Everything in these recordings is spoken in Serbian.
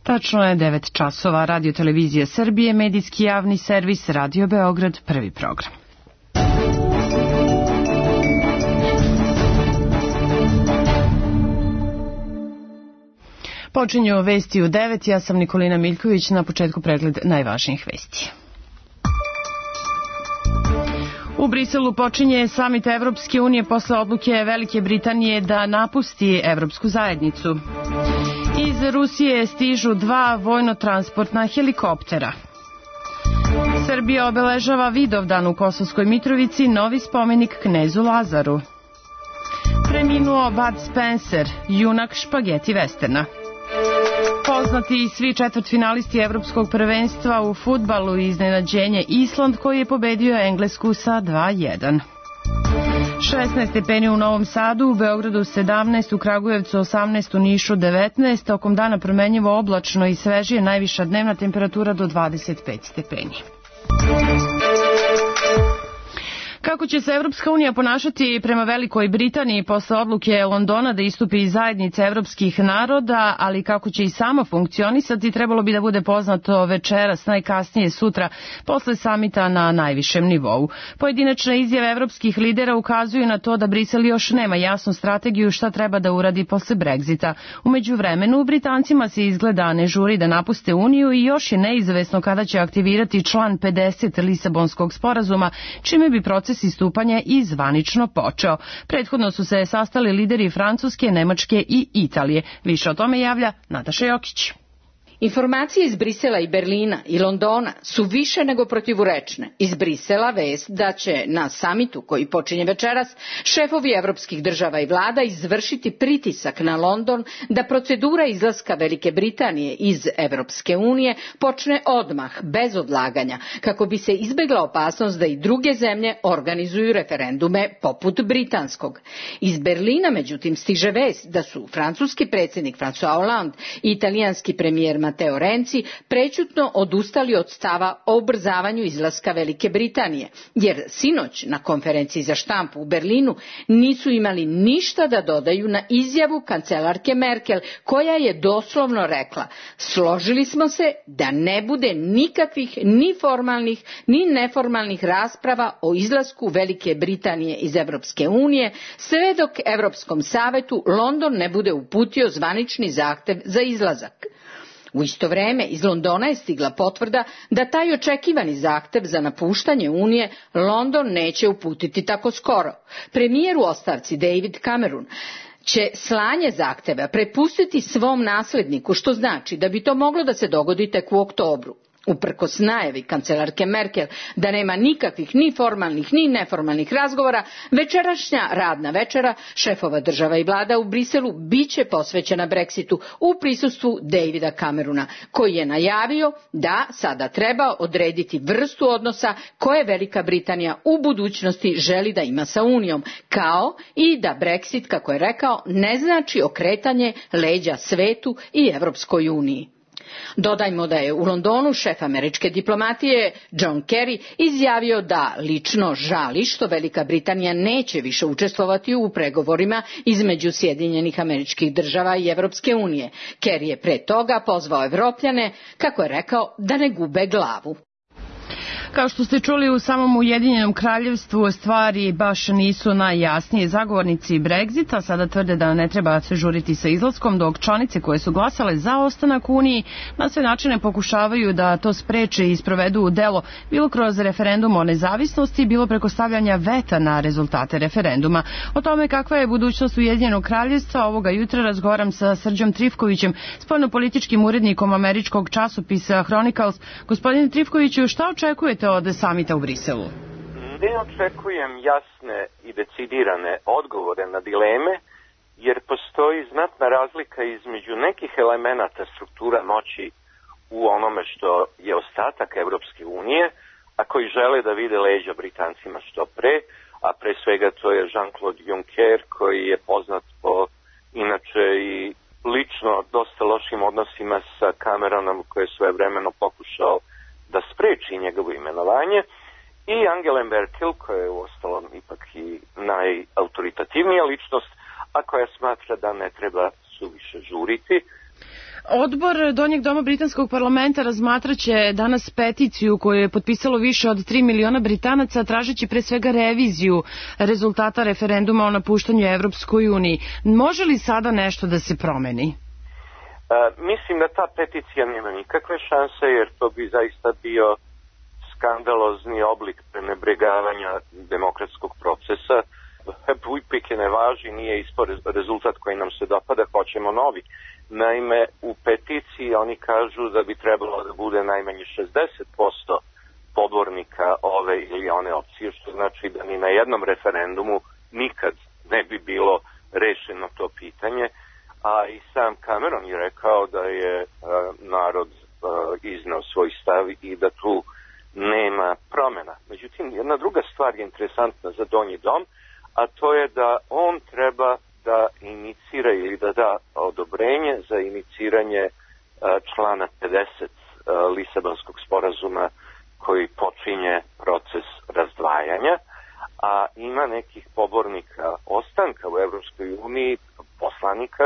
Tačno je 9 časova. Radio Televizija Srbije, medijski javni servis, Radio Beograd, prvi program. Počinju vesti u 9. Ja sam Nikolina Miljković, na početku pregled najvažnijih vesti. U Briselu počinje samit Evropske unije posle odluke Velike Britanije da napusti Evropsku zajednicu. Iz Rusije stižu 2 vojno-transportna helikoptera. Srbija obeležava Vidovdan u Kosovskoj Mitrovici, novi spomenik knezu Lazaru. Preminuo Bud Spencer, junak špageti vesterna. Poznati svi četvrtfinalisti Evropskog prvenstva u fudbalu i iznenađenje Island koji je pobedio Englesku sa 2:1. 16 stepeni u Novom Sadu, u Beogradu 17, u Kragujevcu 18, u Nišu 19, tokom dana promenjivo oblačno i svežije, najviša dnevna temperatura do 25 stepeni. Kako će se Evropska unija ponašati prema Velikoj Britaniji posle odluke Londona da istupi iz zajednice evropskih naroda, ali kako će i sama funkcionisati, trebalo bi da bude poznato večeras, najkasnije sutra, posle samita na najvišem nivou. Pojedinačne izjave evropskih lidera ukazuju na to da Brisel još nema jasnu strategiju šta treba da uradi posle Brexita. U međuvremenu, Britancima se izgleda ne žuri da napuste Uniju i još je neizvesno kada će aktivirati član 50 Lisabonskog sporazuma, čime bi proces istupanja i zvanično počeo. Prethodno su se sastali lideri Francuske, Nemačke i Italije. Više o tome javlja Nataša Jokić. Informacije iz Brisela i Berlina i Londona su više nego protivurečne. Iz Brisela vest da će na samitu koji počinje večeras šefovi evropskih država i vlada izvršiti pritisak na London da procedura izlaska Velike Britanije iz Evropske unije počne odmah, bez odlaganja, kako bi se izbegla opasnost da i druge zemlje organizuju referendume poput britanskog. Iz Berlina, međutim, stiže vest da su francuski predsjednik François Hollande i italijanski premijer Matteo Renzi prećutno odustali od stava o ubrzavanju izlaska Velike Britanije, jer sinoć na konferenciji za štampu u Berlinu nisu imali ništa da dodaju na izjavu kancelarke Merkel, koja je doslovno rekla: složili smo se da ne bude nikakvih ni formalnih ni neformalnih rasprava o izlasku Velike Britanije iz Evropske unije, sve dok Europskom savetu London ne bude uputio zvanični zahtev za izlazak. U isto vrijeme iz Londona je stigla potvrda da taj očekivani zahtev za napuštanje Unije London neće uputiti tako skoro. Premijer u ostavci David Cameron će slanje zahteva prepustiti svom nasljedniku, što znači da bi to moglo da se dogodi tek u oktobru. Uprkos najavi kancelarke Merkel da nema nikakvih ni formalnih ni neformalnih razgovora, večerašnja radna večera šefova država i vlada u Briselu biće posvećena Brexitu u prisustvu Davida Camerona, koji je najavio da sada treba odrediti vrstu odnosa koje Velika Britanija u budućnosti želi da ima sa Unijom, kao i da Brexit, kako je rekao, ne znači okretanje leđa svetu i Evropskoj uniji. Dodajmo da je u Londonu šef američke diplomatije John Kerry izjavio da lično žali što Velika Britanija neće više učestvovati u pregovorima između Sjedinjenih Američkih Država i Evropske unije. Kerry je pre toga pozvao Evropljane, kako je rekao, da ne gube glavu. Kao što ste čuli, u samom Ujedinjenom kraljevstvu stvari baš nisu najjasnije. Zagovornici Brexita sada tvrde da ne treba se žuriti sa izlaskom, dok članice koje su glasale za ostanak u Uniji na sve načine pokušavaju da to spreče i sprovedu u delo, bilo kroz referendum o nezavisnosti, bilo preko stavljanja veta na rezultate referenduma. O tome kakva je budućnost Ujedinjenog kraljevstva ovoga jutra razgovaram sa Srđom Trifkovićem, spoljnopolitičkim urednikom američkog časopisa Chronicles. Gospodine Trifkoviću, šta očekujete od samita u Briselu? Ne očekujem jasne i decidirane odgovore na dileme, jer postoji znatna razlika između nekih elemenata struktura moći u onome što je ostatak Evropske unije, a koji žele da vide leđa Britancima što pre, a pre svega to je Jean-Claude Juncker, koji je poznat po inače i lično dosta lošim odnosima sa Cameronom, koji je svojevremeno pokušao da spreči njegovo imenovanje, i Angela Merkel, koja je uostalom ipak i najautoritativnija ličnost, a koja smatra da ne treba suviše žuriti. Odbor Donjeg doma britanskog parlamenta razmatraće danas peticiju koju je potpisalo više od 3 miliona Britanaca tražeći pre svega reviziju rezultata referenduma o napuštanju Evropskoj uniji. Može li sada nešto da se promeni? Mislim da ta peticija nema nikakve šanse, jer to bi zaista bio skandalozni oblik prenebregavanja demokratskog procesa. Uvijek ne važi, nije ispod rezultat koji nam se dopada, hoćemo novi. Naime, u peticiji oni kažu da bi trebalo da bude najmanje 60% pobornika ove ili one opcije, što znači da ni na jednom referendumu nikad ne bi bilo rešeno to pitanje. A i sam Cameron je rekao da je narod iznao svoj stav i da tu nema promjena. Međutim, jedna druga stvar je interesantna za Donji dom, a to je da on treba da inicira ili da da odobrenje za iniciranje člana 50 Lisabonskog sporazuma koji počinje proces razdvajanja, a ima nekih pobornika ostanka u Evropskoj uniji, poslanika,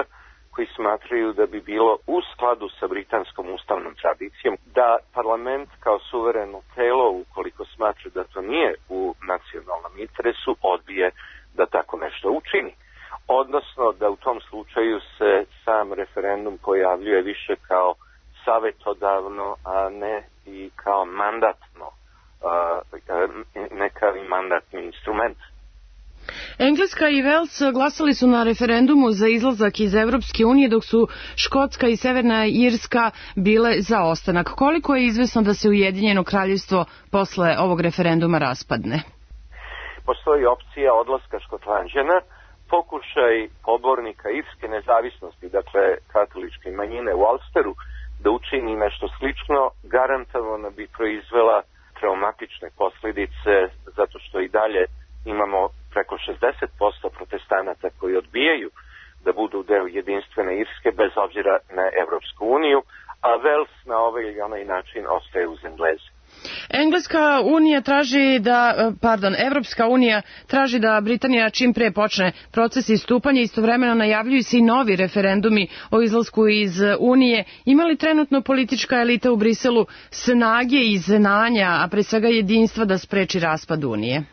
koji smatraju da bi bilo u skladu sa britanskom ustavnom tradicijom da parlament kao suvereno telo, ukoliko smatra da to nije u nacionalnom interesu, odbije da tako nešto učini. Odnosno da u tom slučaju se sam referendum pojavljuje više kao savetodavno, a ne i kao mandatno, ne kao i mandatni instrument. Engleska i Vels glasali su na referendumu za izlazak iz Evropske unije, dok su Škotska i Severna Irska bile za ostanak. Koliko je izvesno da se Ujedinjeno kraljevstvo posle ovog referenduma raspadne? Postoji opcija odlaska Škotlanđana, pokušaj pobornika irske nezavisnosti, dakle katoličke manjine u Ulsteru, da učini nešto slično, garantovano bi proizvela traumatične posljedice, zato što i dalje imamo preko 60% protestanata koji odbijaju da budu deo jedinstvene Irske bez obzira na Evropsku uniju, a Vels na ovaj ili onaj način ostaje uz Engleze. Evropska unija traži da Britanija čim pre počne proces istupanja, istovremeno najavljuju se i novi referendumi o izlasku iz Unije. Ima li trenutno politička elita u Briselu snage i znanja, a pre svega jedinstva da spreči raspad Unije?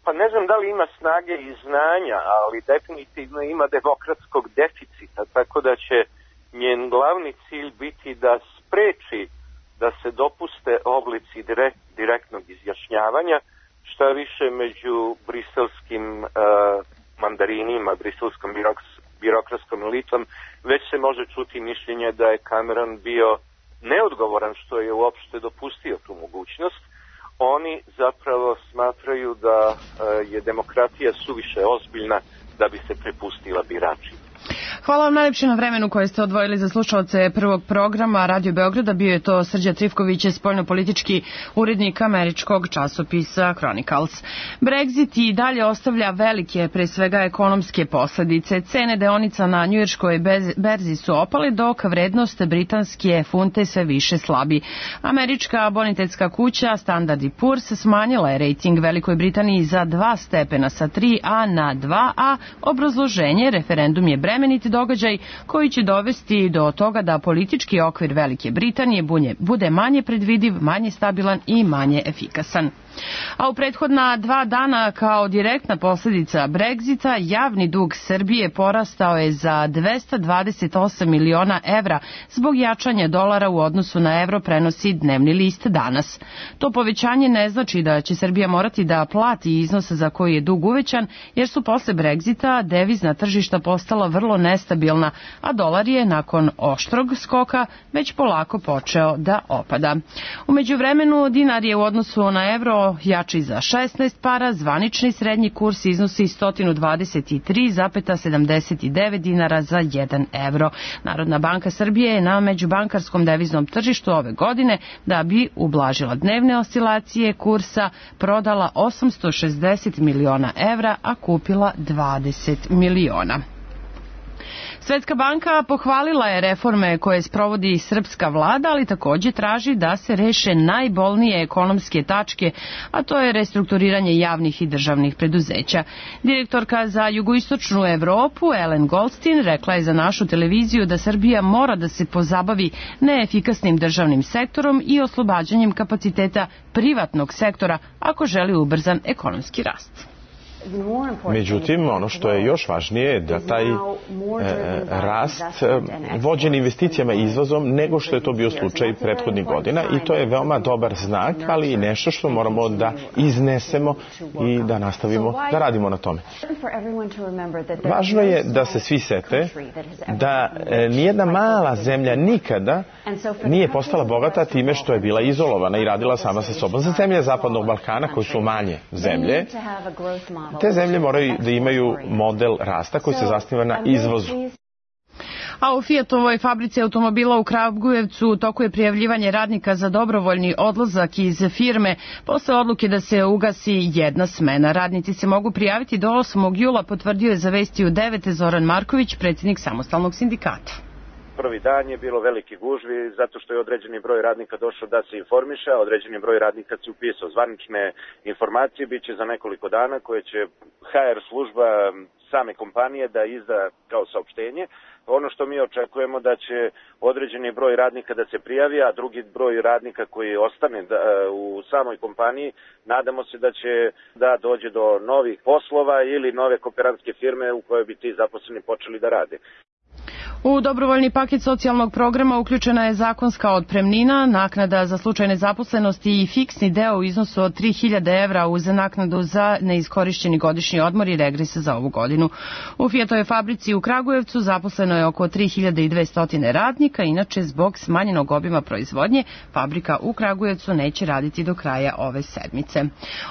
Pa ne znam da li ima snage i znanja, ali definitivno ima demokratskog deficita, tako da će njen glavni cilj biti da spreči da se dopuste oblici direktnog izjašnjavanja, šta više među briselskim mandarinima, briselskom birokratskom elitom, već se može čuti mišljenje da je Cameron bio neodgovoran što je uopšte dopustio tu mogućnost. Oni zapravo smatraju da je demokratija suviše ozbiljna da bi se prepustila biračima. Hvala vam najlepše na vremenu koje ste odvojili za slušalce prvog programa Radio Beograda. Bio je to Srđan Trifković, spoljnopolitički urednik američkog časopisa Chronicles. Brexit i dalje ostavlja velike, pre svega ekonomske posledice. Cene deonica na njujorškoj berzi su opale, dok vrednost britanske funte sve više slabi. Američka bonitetska kuća Standard & Poor's smanjila je rejting Velikoj Britaniji za 2 stepena sa 3A na 2A. Obrazloženje: referendum je bremenit događaj koji će dovesti do toga da politički okvir Velike Britanije bude manje predvidiv, manje stabilan i manje efikasan. A u prethodna 2 dana kao direktna posljedica Brexita javni dug Srbije porastao je za 228 miliona evra zbog jačanja dolara u odnosu na evro, prenosi dnevni list Danas. To povećanje ne znači da će Srbija morati da plati iznos za koji je dug uvećan, jer su posle Brexita devizna tržišta postala vrlo nestabilna, a dolar je nakon oštrog skoka već polako počeo da opada. U međuvremenu dinar je u odnosu na evro jači za 16 para, zvanični srednji kurs iznosi 123,79 dinara za 1 evro. Narodna banka Srbije je na međubankarskom deviznom tržištu ove godine, da bi ublažila dnevne oscilacije kursa, prodala 860 miliona evra, a kupila 20 miliona. Svetska banka pohvalila je reforme koje sprovodi srpska vlada, ali takođe traži da se reše najbolnije ekonomske tačke, a to je restrukturiranje javnih i državnih preduzeća. Direktorka za jugoistočnu Evropu, Ellen Goldstein, rekla je za našu televiziju da Srbija mora da se pozabavi neefikasnim državnim sektorom i oslobađanjem kapaciteta privatnog sektora ako želi ubrzan ekonomski rast. Međutim, ono što je još važnije je da taj rast vođen investicijama i izvozom nego što je to bio slučaj prethodnih godina i to je veoma dobar znak, ali i nešto što moramo da iznesemo i da nastavimo da radimo na tome. Važno je da se svi sete da nijedna mala zemlja nikada nije postala bogata time što je bila izolovana i radila sama sa sobom. Za zemlje Zapadnog Balkana koje su manje zemlje, te zemlje moraju da imaju model rasta koji se zasniva na izvozu. A u Fiatovoj fabrici automobila u Kragujevcu u toku je prijavljivanje radnika za dobrovoljni odlazak iz firme posle odluke da se ugasi jedna smena. Radnici se mogu prijaviti do 8. jula, potvrdio je za Vesti u 9 Zoran Marković, predsjednik samostalnog sindikata. Prvi dan je bilo veliki gužvi zato što je određeni broj radnika došao da se informiše, a određeni broj radnika se upisao. Zvanične informacije biće za nekoliko dana koje će HR služba same kompanije da izda kao saopštenje. Ono što mi očekujemo da će određeni broj radnika da se prijavi, a drugi broj radnika koji ostane u samoj kompaniji, nadamo se da će da dođe do novih poslova ili nove kooperantske firme u kojoj bi ti zaposleni počeli da rade. U dobrovoljni paket socijalnog programa uključena je zakonska otpremnina, naknada za slučaj nezaposlenosti i fiksni deo u iznosu od 3.000 evra uz naknadu za neiskorišćeni godišnji odmor i regres za ovu godinu. U Fiatovoj fabrici u Kragujevcu zaposleno je oko 3.200 radnika, inače zbog smanjenog obima proizvodnje fabrika u Kragujevcu neće raditi do kraja ove sedmice.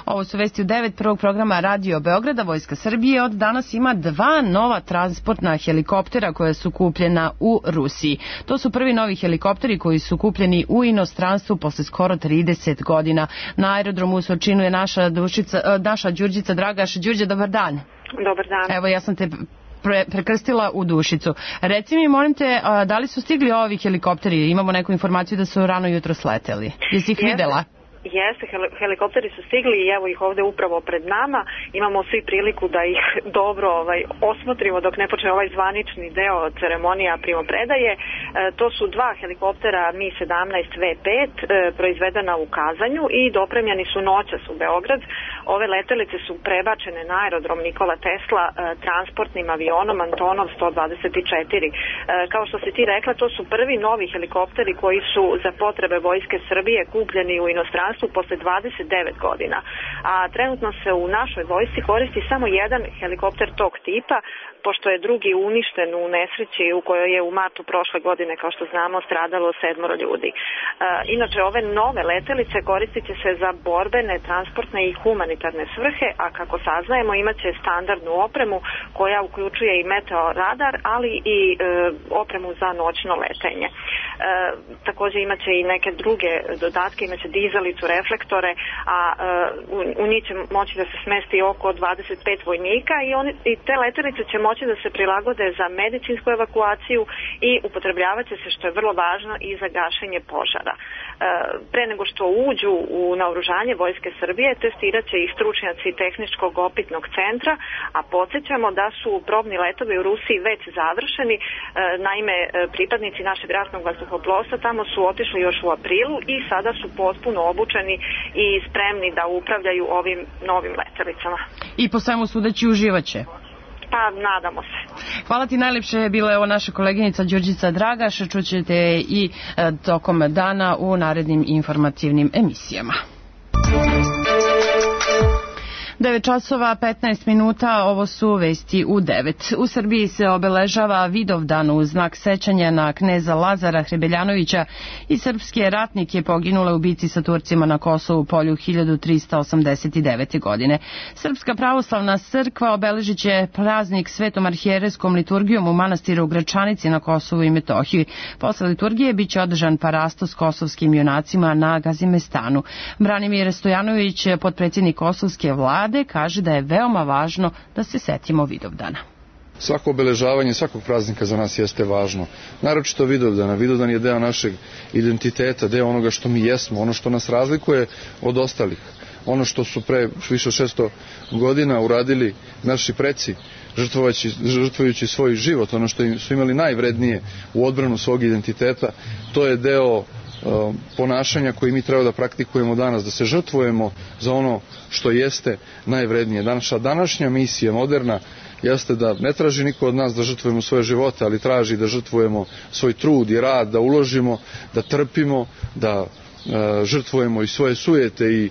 Ovo su Vesti u 9 prvog programa Radio Beograda. Vojska Srbije od danas ima 2 nova transportna helikoptera koja su kupljena u Rusiji. To su prvi novi helikopteri koji su kupljeni u inostranstvu posle skoro 30 godina. Na aerodromu u Surčinu je naša Đurđica Dragaš. Đurđe, dobar dan. Dobar dan. Evo, ja sam te prekrstila u Dušicu. Reci mi, molim te, da li su stigli ovi helikopteri? Imamo neku informaciju da su rano jutro sleteli. Jesi ih videla? Jeste, helikopteri su stigli i evo ih ovde upravo pred nama. Imamo svi priliku da ih dobro osmotrimo dok ne počne ovaj zvanični deo ceremonija primopredaje. To su 2 helikoptera Mi-17 V5 proizvedena u Kazanju i dopremljeni su noćas u Beograd. Ove letelice su prebačene na aerodrom Nikola Tesla transportnim avionom Antonov 124. Kao što si ti rekla, to su prvi novi helikopteri koji su za potrebe Vojske Srbije kupljeni u inostranstvu posle 29 godina. A trenutno se u našoj vojsci koristi samo jedan helikopter tog tipa, pošto je drugi uništen u nesreći u kojoj je u martu prošle godine, kao što znamo, stradalo 7 ljudi. Inače, ove nove letelice koristit će se za borbene, transportne i humanitarne svrhe, a kako saznajemo imaće standardnu opremu koja uključuje i meteoradar, ali i opremu za noćno letenje. Takođe imaće i neke druge dodatke, imaće dizalicu, reflektore, a u njih će moći da se smesti oko 25 vojnika i te letelice će moći da se prilagode za medicinsku evakuaciju i upotrebljavat će se, što je vrlo važno, i za gašenje požara. Pre nego što uđu u naoružanje Vojske Srbije, testirat će i stručnjaci Tehničkog opitnog centra, a podsjećamo da su probni letovi u Rusiji već završeni. Naime, pripadnici našeg ratnog vazduhoplovstva tamo su otišli još u aprilu i sada su potpuno obučeni i spremni da upravljaju ovim novim letelicama. I po svemu sudeći uživaće. Pa, nadamo se. Hvala ti najlepše, bila je ovo naša koleginica Đurđica Dragaš, čućete i tokom dana u narednim informativnim emisijama. 9 časova 15 minuta, ovo su Vesti u 9. U Srbiji se obeležava Vidovdan u znak sećanja na kneza Lazara Hrebeljanovića i srpske ratnike poginule u bici sa Turcima na Kosovu polju 1389. godine. Srpska pravoslavna crkva obeležit će praznik Svetom arhijerejskom liturgijom u manastiru u Gračanici na Kosovu i Metohiji. Posle liturgije biće održan parasto s kosovskim junacima na Gazimestanu. Branimir Stojanović, potpredsjednik kosovske vlade, kaže da je veoma važno da se setimo Vidovdana. svako obeležavanje svakog praznika za nas jeste važno. Naročito Vidovdana. Vidovdan je deo našeg identiteta, deo onoga što mi jesmo, ono što nas razlikuje od ostalih. Ono što su pre više od 600 godina uradili naši preci, žrtvujući svoj život, ono što su imali najvrednije u odbranu svog identiteta, to je deo ponašanja koji mi treba da praktikujemo danas, da se žrtvujemo za ono što jeste najvrednije. Naša današnja misija, moderna, jeste da ne traži niko od nas da žrtvujemo svoje živote, ali traži da žrtvujemo svoj trud i rad, da uložimo, da trpimo, da žrtvujemo i svoje sujete i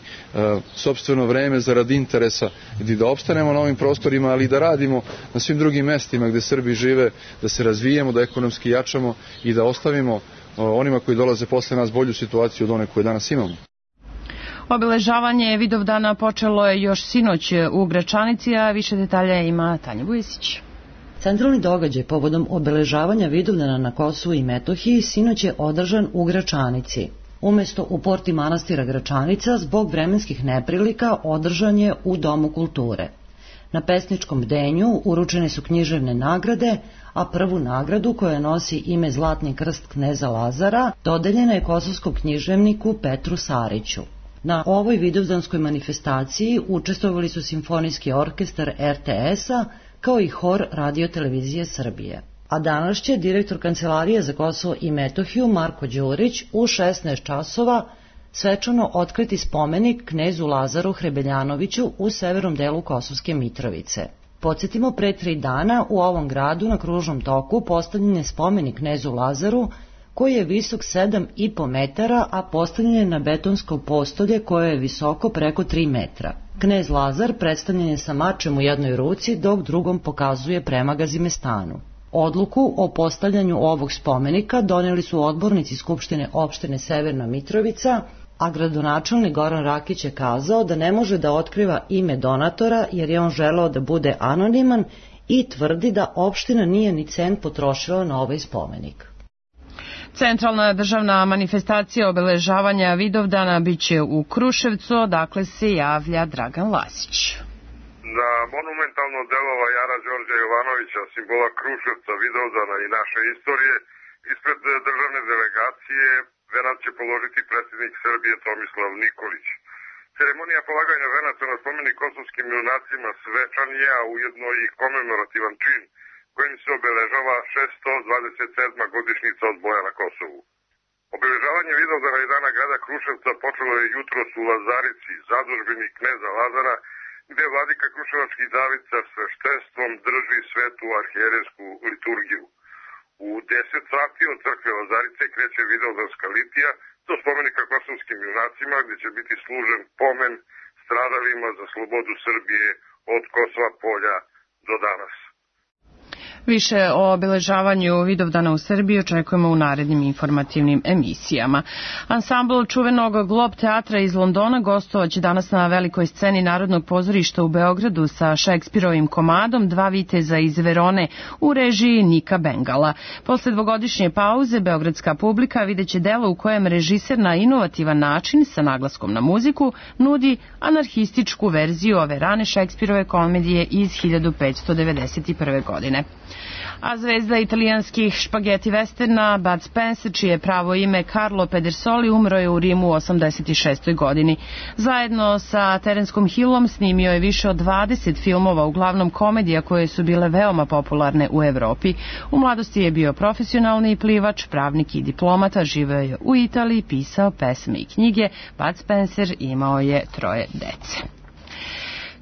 sopstveno vreme zarad interesa i da opstanemo na ovim prostorima, ali i da radimo na svim drugim mestima gde Srbi žive, da se razvijemo, da ekonomski jačamo i da ostavimo onima koji dolaze posle nas bolju situaciju od one koje danas imamo. Obeležavanje Vidovdana počelo je još sinoć u Gračanici, a više detalja ima Tanja Vujesić. Centralni događaj povodom obeležavanja Vidovdana na Kosovu i Metohiji sinoć je održan u Gračanici. Umesto u porti manastira Gračanica, zbog vremenskih neprilika održan je u Domu kulture. Na pesničkom bdenju uručene su književne nagrade, a prvu nagradu, koja nosi ime Zlatni krst kneza Lazara, dodeljena je kosovskom književniku Petru Sariću. Na ovoj vidovdanskoj manifestaciji učestvovali su Simfonijski orkestar RTS-a kao i hor Radio-televizije Srbije. A danas će direktor Kancelarije za Kosovo i Metohiju Marko Đurić u 16 časova svečano otkriti spomenik knezu Lazaru Hrebeljanoviću u severnom delu Kosovske Mitrovice. Podsjetimo, pre 3 dana u ovom gradu na kružnom toku postavljen je spomenik knezu Lazaru, koji je visok 7,5 metara, a postavljen je na betonsko postolje koje je visoko preko 3 metra. Knez Lazar predstavljen je sa mačem u jednoj ruci, dok drugom pokazuje prema Gazimestanu. Odluku o postavljanju ovog spomenika doneli su odbornici Skupštine opštine Severna Mitrovica, a gradonačelnik Goran Rakić je kazao da ne može da otkriva ime donatora jer je on želeo da bude anoniman i tvrdi da opština nije ni cent potrošila na ovaj spomenik. Centralna državna manifestacija obeležavanja Vidovdana biće u Kruševcu, odakle se javlja Dragan Lasić. Na monumentalno delova Jara Đorđa Jovanovića, simbola Kruševca, Vidovdana i naše istorije, ispred državne delegacije venac će položiti predsjednik Srbije Tomislav Nikolić. Ceremonija polaganja venaca na spomenik kosovskim junacima svečan je, a ujedno i komemorativan čin kojim se obeležava 627. godišnjica od boja na Kosovu. Obeležavanje Vidovdana i dana grada Kruševca počelo je jutros u Lazarici, zadužbini kneza Lazara, gde vladika Kruševački David sa sveštenstvom drži svetu arhijerejsku liturgiju. U 10 sati od crkve Lazarice kreće Vidovdanska litija do spomenika kosovskim junacima, gde će biti služen pomen stradalima za slobodu Srbije od Kosova polja do danas. Više o obeležavanju Vidovdana u Srbiji očekujemo u narednim informativnim emisijama. Ansambl čuvenog Glob teatra iz Londona gostovaće danas na velikoj sceni Narodnog pozorišta u Beogradu sa Šekspirovim komadom Dva viteza iz Verone u režiji Nika Bengala. Posle dvogodišnje pauze beogradska publika videće delo u kojem režiser na inovativan način sa naglaskom na muziku nudi anarhističku verziju ove rane Šekspirove komedije iz 1591. godine. A zvezda italijanskih špageti westerna Bud Spencer, čije pravo ime Carlo Pedersoli, umro je u Rimu u 86. godini. Zajedno sa Terencom Hillom snimio je više od 20 filmova, uglavnom komedija koje su bile veoma popularne u Evropi. U mladosti je bio profesionalni plivač, pravnik i diplomata, živeo je u Italiji, pisao pesme i knjige. Bud Spencer imao je 3 dece.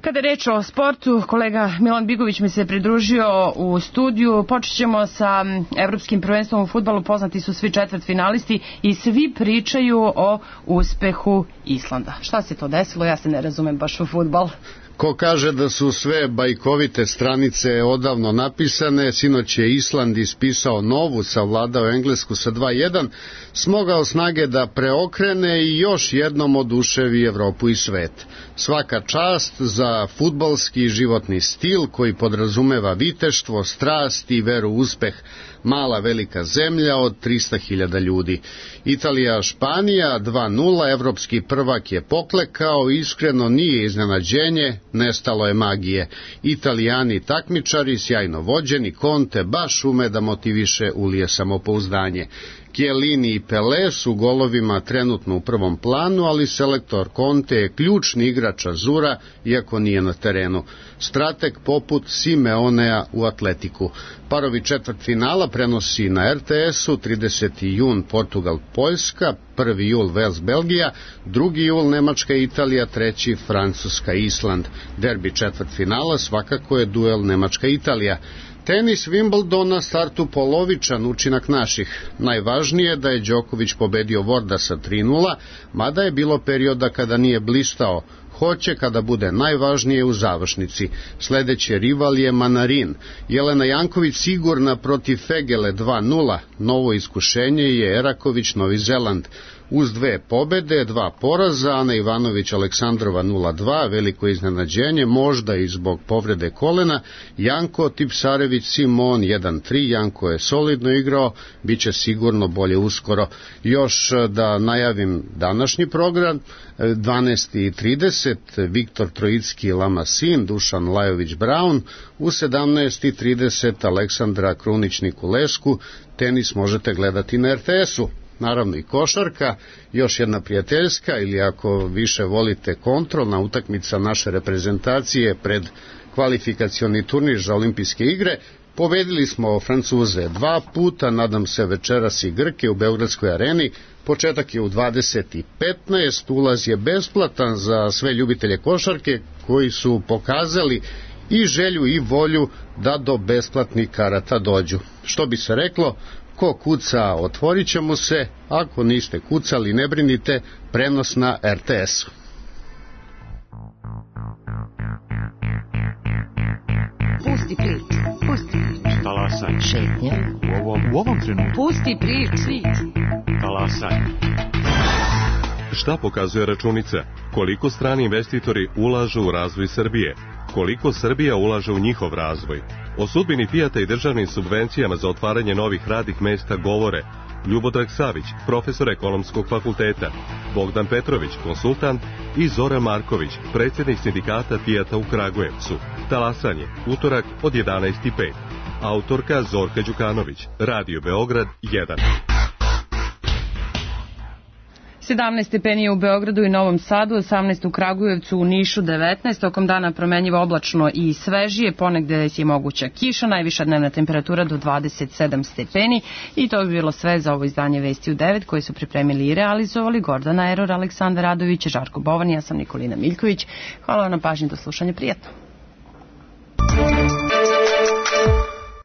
Kada je reč o sportu, kolega Milan Bigović mi se pridružio u studiju. Počet ćemo sa Evropskim prvenstvom u fudbalu. Poznati su svi četvrtfinalisti i svi pričaju o uspehu Islanda. Šta se to desilo? Ja se ne razumem baš u fudbal. Ko kaže da su sve bajkovite stranice odavno napisane, sinoć je Island ispisao novu, savladao Englesku sa 2:1, smogao snage da preokrene i još jednom oduševi Evropu i svet. Svaka čast za fudbalski životni stil koji podrazumeva viteštvo, strast i veru u uspeh. Mala velika zemlja od 300.000 ljudi. Italija, Španija 2:0, evropski prvak je poklekao, iskreno nije iznenađenje, nestalo je magije. Italijani takmičari, sjajno vođeni, Conte baš ume da motiviše ulije samopouzdanje. Chiellini i Pelé su golovima trenutno u prvom planu, ali selektor Conte je ključni igrač Azura, iako nije na terenu. Strateg poput Simeonea u Atletiku. Parovi četvrtfinala prenosi na RTS-u 30. jun Portugal-Poljska, 1. jul Vels-Belgija, 2. jul Nemačka-Italija, 3. Francuska-Island. Derbi četvrtfinala svakako je duel Nemačka-Italija. Tenis Wimbledona startu polovičan učinak naših. Najvažnije je da je Đoković pobedio Vordasa 3:0, mada je bilo perioda kada nije blistao. Hoće kada bude najvažnije u završnici. Sledeći rival je Manarin. Jelena Janković sigurna protiv Fegele 2:0. Novo iskušenje je Eraković Novi Zeland. Uz 2 pobede, 2 poraza, Ana Ivanović Aleksandrova 0:2, veliko iznenađenje, možda i zbog povrede kolena. Janko Tipsarević Simon 1:3, Janko je solidno igrao, bit će sigurno bolje uskoro. Još da najavim današnji program, 12:30 Viktor Trojicki Lamasin, Dušan Lajović Braun, u 17:30 Aleksandra Krunić Nikulesku. Tenis možete gledati na RTS-u. Naravno i košarka, još jedna prijateljska ili ako više volite kontrolna utakmica naše reprezentacije pred kvalifikacioni turnir za olimpijske igre. Pobedili smo Francuze 2 puta, nadam se večeras i Grke u Beogradskoj areni. Početak je u 20:15, ulaz je besplatan za sve ljubitelje košarke koji su pokazali i želju i volju da do besplatnih karata dođu. Što bi se reklo, ko kuca, otvorit će mu se, ako niste kucali, ne brinite, prenos na RTS-u. Pusti priču, pusti priču. Talasaj. Šetnja. U ovom trenutku. Pusti priču. Talasaj. Šta pokazuje računica? Koliko strani investitori ulažu u razvoj Srbije? Koliko Srbija ulaže u njihov razvoj? O sudbini Fijata i državnim subvencijama za otvaranje novih radnih mesta govore Ljubodrag Savić, profesor Ekonomskog fakulteta, Bogdan Petrović, konsultant, i Zoran Marković, predsjednik sindikata Fijata u Kragujevcu. Talasanje, utorak od 11:05. Autorka Zorka Đukanović, Radio Beograd 1. 17 stepeni je u Beogradu i Novom Sadu, 18 u Kragujevcu, u Nišu 19, tokom dana promenjivo oblačno i svežije, ponegde je moguća kiša, najviša dnevna temperatura do 27 stepeni i to bi bilo sve za ovo izdanje Vesti u 9 koje su pripremili i realizovali Gordana Eror, Aleksandar Radović, Žarko Bovan, ja sam Nikolina Miljković. Hvala vam na pažnji, do slušanja, prijatno.